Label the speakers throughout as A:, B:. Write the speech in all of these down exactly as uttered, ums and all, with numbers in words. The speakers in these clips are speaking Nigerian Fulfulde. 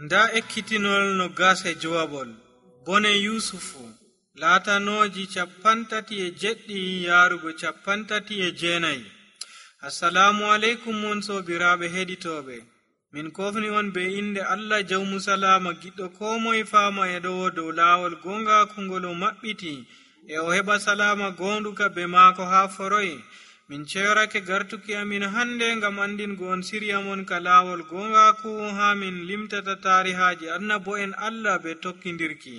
A: nda ekkitinol no gase jowabol bone yusufu laatanooji capantati e jeɗɗi yaarugo capantati e jeenayi. assalamu aleykum mon soobiraaɓe heɗitooɓe, min kofni on be inde allah jawmu salama giɗɗo ko moye faama e ɗowo dow laawol gongaakungol o maɓɓiti e o heɓa salama goonduka be maako haa foroye. min ceyorake gartuki amin hannde ngam andingo on sirya mon ka laawol gongaaku haa min limtata taarihaaji annabo'en allah be tokkindirki.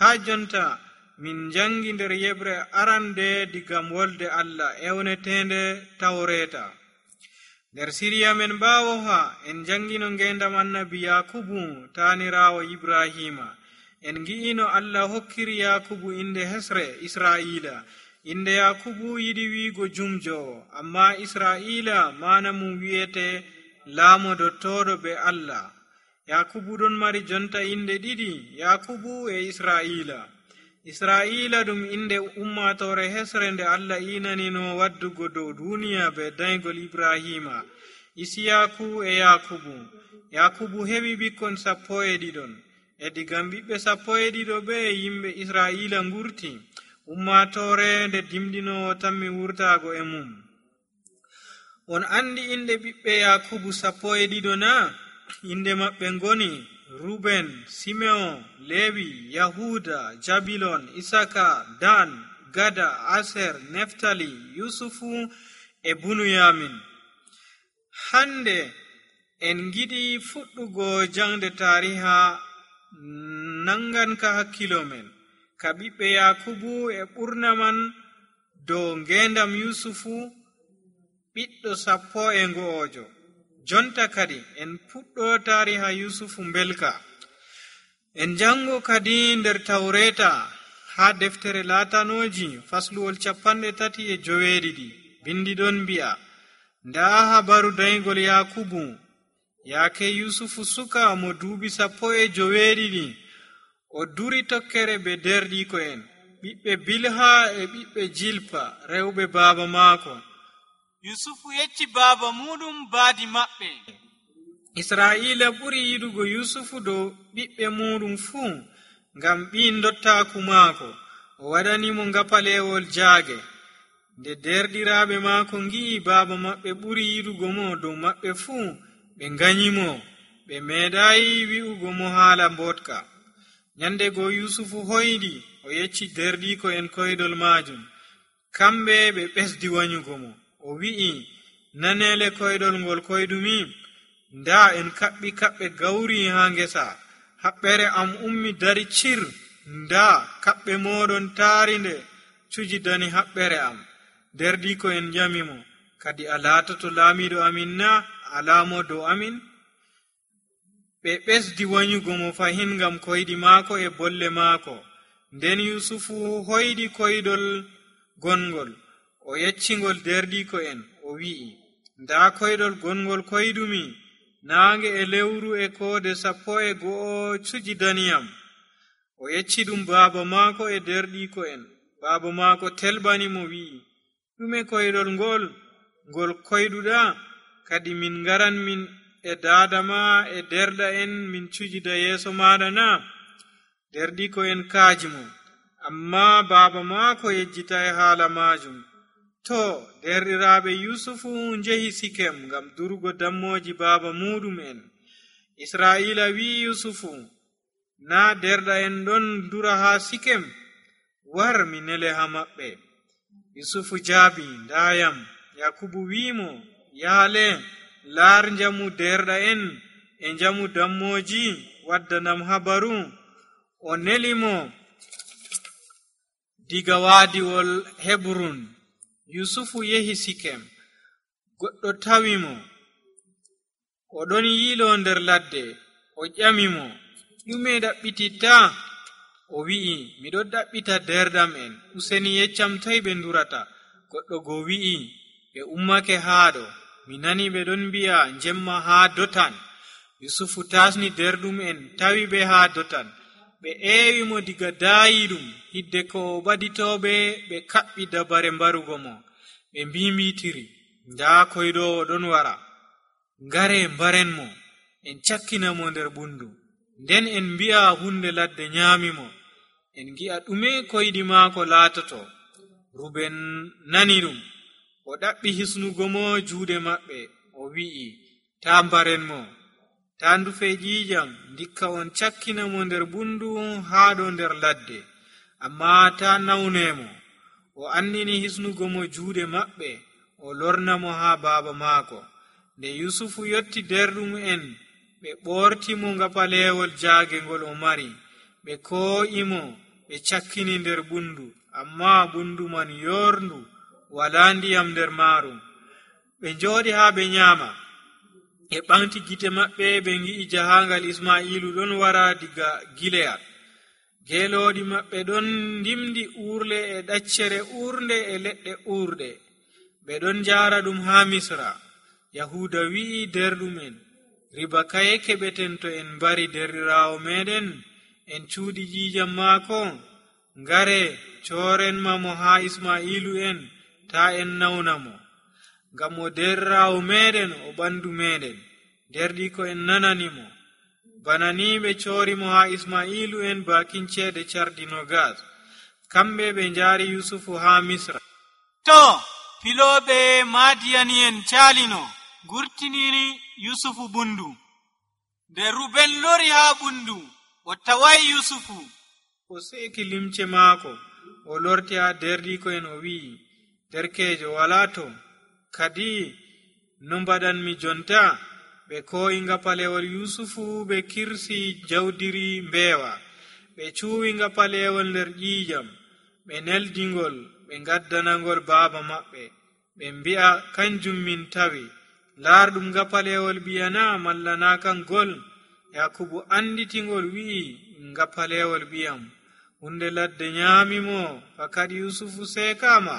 A: haa jonta min jangi nder yeɓre arande digam wolde allah ewnetende tawreta. nder siriya men ɓaawo ha en jangino ngendam annabi yakubu taanirawo ibrahima. en gi'ino allah hokkiri yakubu inde hesre israila. inde yakubu yiɗi wiigo jumjowo, amma israila mana mum wi'ete laamodottoɗo be allah. yakubu ɗon mari jonta inde ɗiɗi, yakubu e israila. israila ɗum inde ummatore hesre nde allah inanino waddugo dow duniya be daygol ibrahima, isiyaku e yakubu. yakubu heɓi ɓikkon sappo e ɗiɗon, e digam ɓiɓɓe sappo e ɗiɗo ɓe yimɓe israila ngurti. ummatore nde dimɗinowo tammi wurtago e mum. on andi inde ɓiɓɓe yakubu sappo e ɗiɗo na? inde maɓɓe ngoni ruben, simeon, lewi, yahuda, jabilon, isaka, dan, gada, aser, neftali, yusufu e bunuyamin. hande en giɗi fuɗɗugo jangde tariha nanganka hakkilo men ka ɓiɓɓe yakubu e ɓurna man dow ngendam yusufu ɓiɗɗo sappo e ngo'ojo. jonta kadi en puɗɗo tariha yusufu mbelka. en jango kadi nder tawreta ha deftere laatanoji fasluwol capanɗe tati e joweeɗiɗi. bindi ɗon mbi'a, nda habaru daygol yakubu yaake yusufu suka mo duuɓi sappo e joweeɗiɗi. o duri tokkere be derɗiko'en ɓiɓɓe bilha e ɓiɓɓe jilpa rewɓe baaba maako. yusufu yecci baaba muɗum baadi maɓɓe. israila ɓuri yiɗugo yusufu dow ɓiɓɓe muɗum fuu ngam ɓi dottaku maako. o waɗanimo ngapalewol jaage. nde derɗiraaɓe maako ngi'i baaba maɓɓe ɓuri yiɗugo mo dow maɓɓe fuu, ɓe nganyimo. ɓe meeɗayi wi'ugo mo haala mbotka. nyande go yusufu hoyɗi o yecci derɗiko en koydol majum. kamɓe ɓe ɓesdi wanyugo mo. o wi'i, nanele koydol ngol koydumi, nda en kaɓɓi kaɓɓe gawri ha ngesa. haɓɓere am ummi dari cir, nda kaɓɓe moɗon taari nde cuji dani haɓɓere am. derɗiko en jamimo, kadi a laatoto laamiɗo amin na? alamo dow amin? ɓe ɓesdi wanyugo mo fahin ngam koyɗi maako e bolle maako. nden yusufu hoyɗi koydol gongol, o yeccingol derɗiko en, o wi'i, nda koydol gongol koydumi, naange e lewru e koode sappo e go'o cuji daniyam. o yecci ɗum baaba maako e derɗiko en. baaba maako telbani mo wi'i, ɗume koydol ngol ngol koyɗuɗa? kadi min ngaran min e daadama e derɗa en min cujida yeeso maɗa na? derɗiko en kaaji mo, amma baaba maako yejjita e haala majum. to derɗiraaɓe yusufu njehi sikem ngam durugo dammoji baaba muɗum en. israila wi'i yusufu, na derɗa en ɗon dura ha sikem? war mi nele ha maɓɓe. yusufu jaabi, ndayam. yakubu wi'imo, yaale laar njamu derɗa en e njamu dammoji, waddanam habaru. o nelimo diga waadiwol hebrun. yusufu yehi sikem. goɗɗo tawimo, o ɗon yiilo nder ladde. o ƴamimo, ɗume ɗaɓɓititta? o wi'i, miɗo ɗaɓɓita derɗam en. useni yeccam toy ɓe durata. goɗɗo go wi'i, ɓe ummake haaɗo. mi nani ɓe ɗon mbi'a jemma haa dotan. yusufu tasni derɗum en tawi ɓe haa dotan. ɓe eewi mo diga daayiɗum. hidde ko o ɓaditoɓe ɓe kaɓɓi dabare mbarugo mo. ɓe mbimbitiri, nda koyɗowo ɗon wara. ngare mbaren mo, en cakkina mo nder bundu. nden en mbi'a hunde ladde nyaamimo, en gi'a ɗume koyɗi maako laatoto. Ruben nani ɗum, o ɗaɓɓi hisnugo mo juuɗe maɓɓe, o wi'i, taa mbarenmo, taa ndufe ƴiiƴam, ndikka on cakkina mo nder bundu haa ɗo nder ladde, amma taa nawnemo. O andini hisnugo mo juuɗe maɓɓe, o lorna mo haa baaba maako. Nde Yusufu yotti derɗum en, ɓe ɓortimo ngapaleewol jaage ngol o mari, ɓe koo'imo, ɓe cakkini nder bundu, amma bundu man yorndu, walaa ndiyam nder maarum. Ɓe njooɗi haa ɓe nyaama, e ɓamti gite maɓɓe, ɓe ngi'i jahaangal Ismaa'ilu ɗon wara diga Gileyad. Geelooɗi maɓɓe ɗon ndimdi uurle e ɗaccere uurnde e leɗɗe uurɗe. Ɓe ɗon njaara ɗum haa Misra. Yahuuda wi'i derɗumen, riba kaye keɓeten to en mbari derɗiraawo meɗen, en cuuɗi ƴiiƴam maako? Ngare coorenma mo haa Ismaa'ilu en, taa en nawna mo. Ngam o derɗiraawo meɗen, o ɓandu meɗen. Derɗi ko en nanani mo. Bana ni ɓe coori mo haa Ismaa'ilu en baakin ceede cardi nogas. Kamɓe ɓe njaari Yusufu haa Misra. To, filooɓe Maadiyani en caalino, gurtiniri Yusufu bundu. Nde Ruben lori haa bundu, o tawayi Yusufu. O seeki limce maako, o lorti haa derɗiko en, o wi'i, derkeejo walaa to, kadi no mbaɗanmi jonta? Ɓe kooyi ngapalewol Yusufu, ɓe kirsi jawdiri mbeewa, ɓe cuuwi ngapalewol nder ƴiiƴam, ɓe neldingol, ɓe ngaddanangol baaba maɓɓe, ɓe mbi'a, kanjum min tawi. Laarɗum ngapalewol ɓiyana malla naa kangol? Yakubu anditingol wi'i, ngapalewol ɓiyam. Hunde ladde nyaamimo, fakadi Yusufu seekama.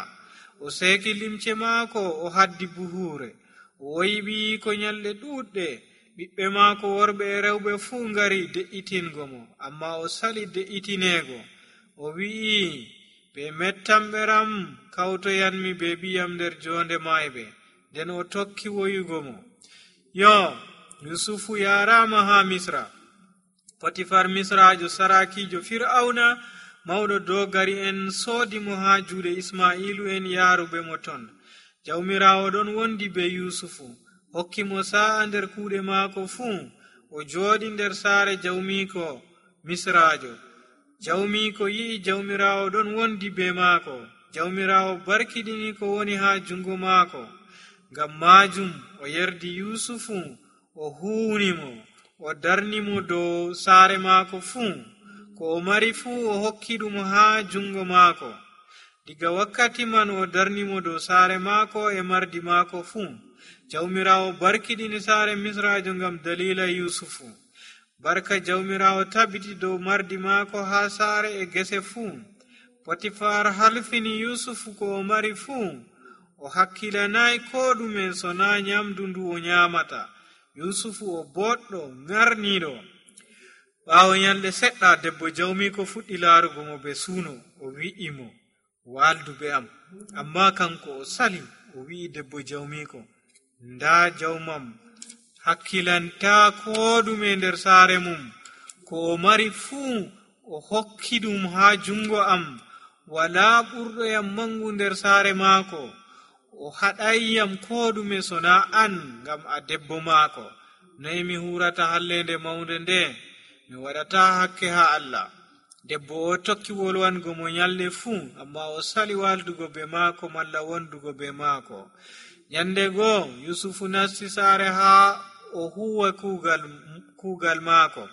A: O seeki limce maako, o haddi buhuure. O woyiɓi ko nyalɗe ɗuuɗɗe. Ɓiɓɓe maako worɓe e rewɓe fuu ngari de'itingo mo, amma o sali de'itineego. O wi'i, ɓe mettamɓeram kawtoyanmi be ɓiyam nder jonde mayɓe. Nden o tokki woyugo mo. Yo, Yusufu yaaraama haa Misra. Potifar Misraajo sarakiijo Fir'auna, mawɗo dogari en, soodi mo haa juuɗe Ismaa'ilu en yaaruɓe mo ton. Jawmiraawo ɗon wondi be Yusufu, hokki mo sa'a nder kuuɗe maako fuu. O jooɗi nder saare jawmiiko Misraajo. Jawmiiko yi'i jawmiraawo ɗon wondi be maako. Jawmiraawo barkiɗini ko woni haa jungo maako. Ngam maajum o yerdi Yusufu, o huuni mo, o darni mo dow saare maako fuu. Ko o mari fuu o hokki ɗum haa jungo maako. Diga wakkati man o darni mo dow saare maako e mardi maako fuu. Jawmiraawo barkiɗini saare Misraajo ngam dalila Yusufu. Barka jawmiraawo tabiti dow mardi maako haa saare e gese fuu. Potifar halfini Yusufu ko o mari fuu. O hakkilanayi ko ɗume so naa nyamdu ndu o nyaamata. Yusufu o boɗɗo ngarniiɗo. Ɓaawo nyalɗe seɗɗa, debbo jawmiiko fuɗɗi laarugo mo be suuno. O wi'i mo, waaldu be am. Amma kanko o sali, o wi'i debbo jawmiiko, ndaa jawmam hakkilantaa ko ɗume nder saare mum. Ko o mari fuu o hokki ɗum haa jungo am. Walaa ɓurɗoyam mangu nder saare maako. O haɗayyam ko ɗume so naa an, ngam a debbo maako. Noy mi hurata hallende mawnde nde? Mi waɗata hakke haa Allah. Debbo o tokki wolwango mo nyalɗe fuu, amma o sali waldugo be maako malla wondugo be maako. Nyande goo Yusufu nasti saare haa o huwa kuugal, kuugal maako.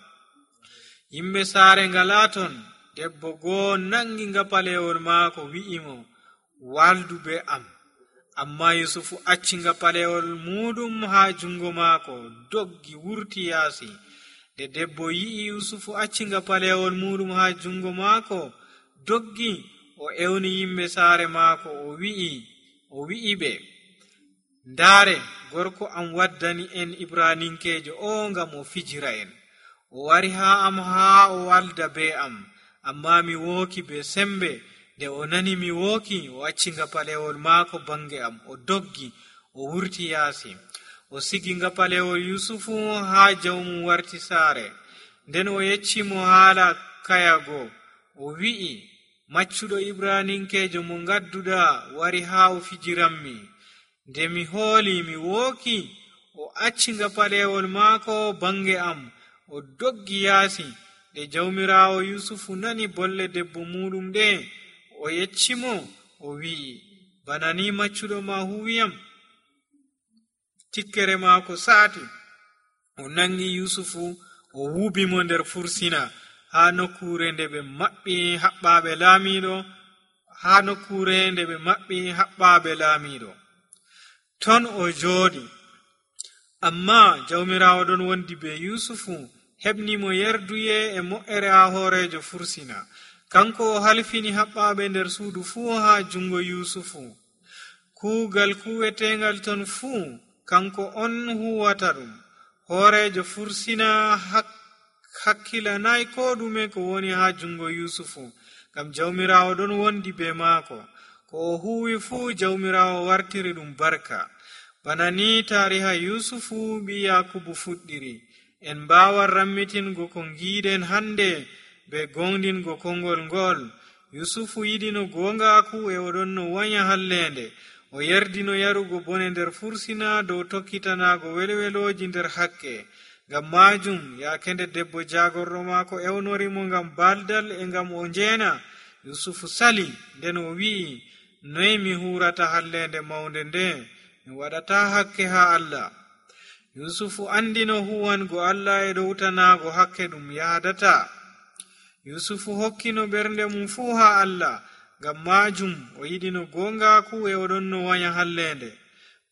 A: Yimɓe saare ngalaa ton. Debbo goo nangi ngapalewol maako, wi'i mo, waldu be am. Amma Yusufu acci ngapalewol muɗum haa jungo maako, doggi wurti yaasi. Nde debbo yi'i Yusufu acci ngapalewol muɗum haa jungo maako, doggi, o ewni yimɓe saare maako, o wi'i o wi'i ɓe, ndaare, gorko am waddani en Ibraninkeejo o ngam o fijira en. O wari haa am haa o walda be am, amma mi wooki be sembe. Nde o nani mi wooki, o acci ngapalewol maako bange am, o doggi, o wurti yaasi. O sigi ngapalewol Yusufu haa jawmum warti saare. nden o yeccimo haala kayago o wi'i, maccuɗo ibraninkejo mo gadduɗa wari haa o fijiranmi. Nde mi hooli mi wooki, o acci ngapalewol maako bange am o doggi yaasi. Nde jawmirawo yusufu nani bolle debbo muɗum ɗe, o yeccimo o wi'i, bana ni maccuɗo ma huwiyam. Tikkere maako saati, o nangi yusufu o wubimo nder fursina haa nokkure nde ɓe maɓɓi haɓɓaɓe laamiɗo haa nokkure nde ɓe maɓɓi haɓɓaɓe laamiɗo ton o jooɗi. Amma jawmirawo ɗon wondi be yusufu heɓnimo yerduye e mo'ere haa hoorejo fursina. Kanko o halfini haɓɓaɓe nder suudu fuu haa jungo yusufu. Kuugal kuwetengal ton fuu kanko on huwata ɗum. Hoorejo fursina hakkilanai ko ɗume ko woni haa jungo yusufu, ngam jawmirawo ɗon wondi be maako. Ko o huwi fuu jawmirawo wartiri ɗum barka. Bana ni tariha yusufu ɓi yakubu fuɗɗiri. En mbawan rammitingo ko giiden hande be gongdingo kongol ngol. Yusufu yiɗino gongaku e oɗon no wanya hallende. O yerdino yarugo bone nder fursina dow tokkitanago welweloji nder hakke. Ngam majum yaake nde debbo jagorɗo maako ewnorimo ngam baldal e ngam o njeena, yusufu sali, nden o wi'i, noy mi hurata hallende maunde nde? Mi waɗata hakke ha Allah. Yusufu andino huwango Allah e ɗowtanago hakke ɗum yaadata. Yusufu hokkino ɓernde mum fuu ha Allah. Ngam majum o yiɗino gongaku e oɗon no wanya hallende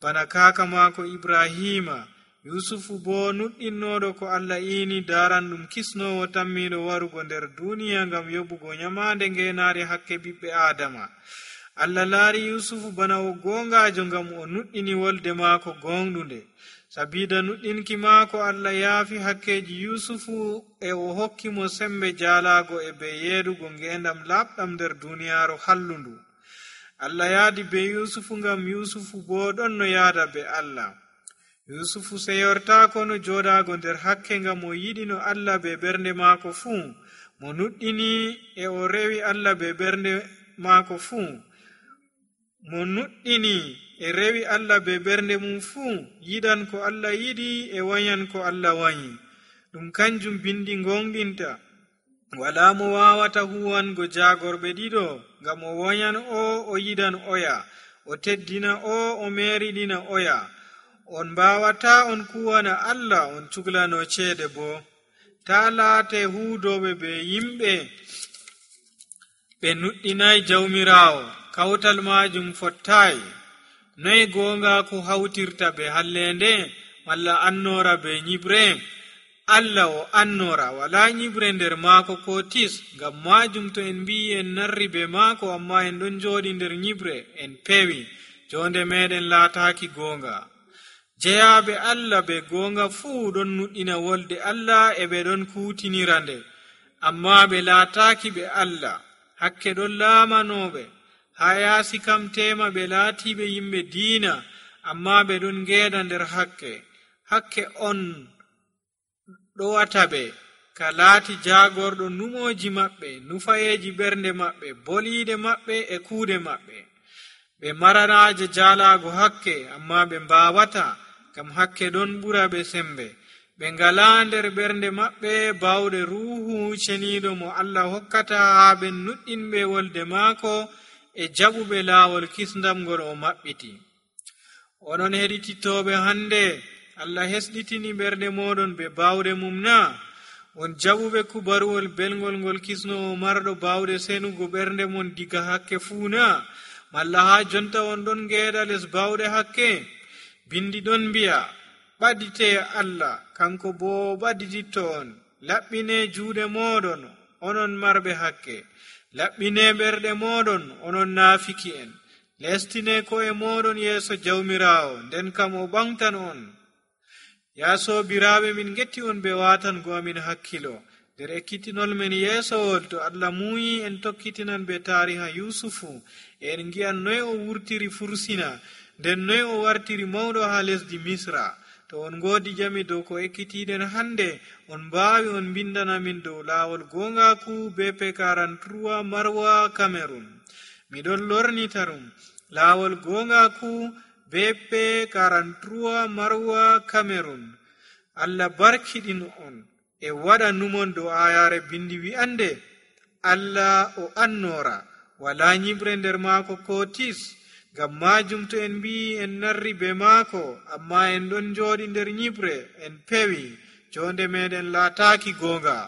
A: bana kaka maako Ibrahima. Yusufu bo nuɗɗinnoɗo ko Allah iini daran ɗum kisnowo tammiɗo warugo nder duniya ngam yoɓugo nyamande ngenari hakke ɓiɓɓe Adama. Allah laari Yusufu bana o gongajo ngam o nuɗɗini wolde maako gonɗunde. Sabida nuɗɗinki maako Allah yaafi hakkeji Yusufu e o hokkimo sembe jaalago e be yeedugo ngendam labɗam nder duniyaru hallundu. Allah yaadi be Yusufu ngam Yusufu bo ɗon no yaada be Allah. Yusufu seyortako no joɗago nder hakke ngam o yiɗino Allah be ɓernde maako fuu. Mo nuɗɗini e o rewi Allah be ɓernde maako fuu. Mo nuɗɗini e rewi Allah be ɓernde mum fuu yiɗan ko Allah yiɗi e wanyan ko Allah wanyi. Ɗum kanjum bindi gonɗinta. Wala mo wawata huwango jagorɓe ɗiɗo, ngam o wanyan o o yiɗan oya, o teddina o o meriɗina oya. On mbawata on kuwana Allah on cuglano ceede bo. Ta laate huudoɓe be yimɓe ɓe nuɗɗinai jawmirawo, kawtal majum fottai. Noy gongaku hawtirta be hallende malla annora be nyibre? Allah o annora, wala nyibre nder maako ko tis. Ngam majum to en mbi en narri be maako amma en ɗon joɗi nder nyibre, en pewi, jonde meɗen laataki gonga. Jeyaɓe Allah be gonga fuu ɗon nuɗɗina wolde Allah e ɓe ɗon kutinira nde, amma ɓe laataki ɓe Allah. Hakke ɗon laamanoɓe. Ha yaasi kam tema ɓe laatiɓe yimɓe diina, amma ɓe ɗon ngeeda nder hakke. Hakke on ɗowata ɓe ka laati jagorɗo numoji maɓɓe, nufayeji ɓernde maɓɓe, boliide maɓɓe e kuuɗe maɓɓe. Ɓe maranaje jaalago hakke, amma ɓe mbawata, ngam hakke ɗon ɓura ɓe sembe. Ɓe ngala nder ɓernde maɓɓe bawɗe ruhu ceniɗo mo Allah hokkata haa ɓe nuɗɗinɓe wolde maako e jaɓuɓe laawol kisndamgol o maɓɓiti. Onon heɗititoɓe hande, Allah hesɗitini ɓernde moɗon be bawɗe mum na? On jaɓuɓe kubaruwol belgol ngol kisnowo marɗo bawɗe senugo ɓernde mon diga hakke fuu na? Malla ha jonta on ɗon ngeeɗa les bawɗe hakke? Bindi ɗon mbi'a, ɓadite Allah, kanko bo ɓadititto on. Laɓɓine juuɗe moɗon, onon marɓe hakke. Laɓɓine ɓerɗe moɗon, onon naafiki en. Lestine ko'e moɗon yeeso jawmirawo, nden kam o ɓamtan on. Ya sobiraɓe, min getti on be watango amin hakkilo nder ekkitinol men yeesowol. To Allah muuyi en tokkitinan be tariha Yusufu, e en ngi'an noy o wurtiri fursina, nden noy o wartiri mawɗo ha lesdi Misra. to on ngoodi jami dow ko ekkitiiɗen hannde on mbaawi on mbindana min dow laawol goongaaku be pe karanturuwa marwa cameron. miɗon lornitarum laawol goongaaku be pe karanturuwa marwa cameron. allah barkiɗin on e waɗa numon dow ayaare bindi wi'ande allah o annoora wala nyiɓre nder maako ko tis. ngam majum to en mbi en narri be maako amma en ɗon jooɗi nder nyiɓre en pewi jonde meɗen laataaki goonga.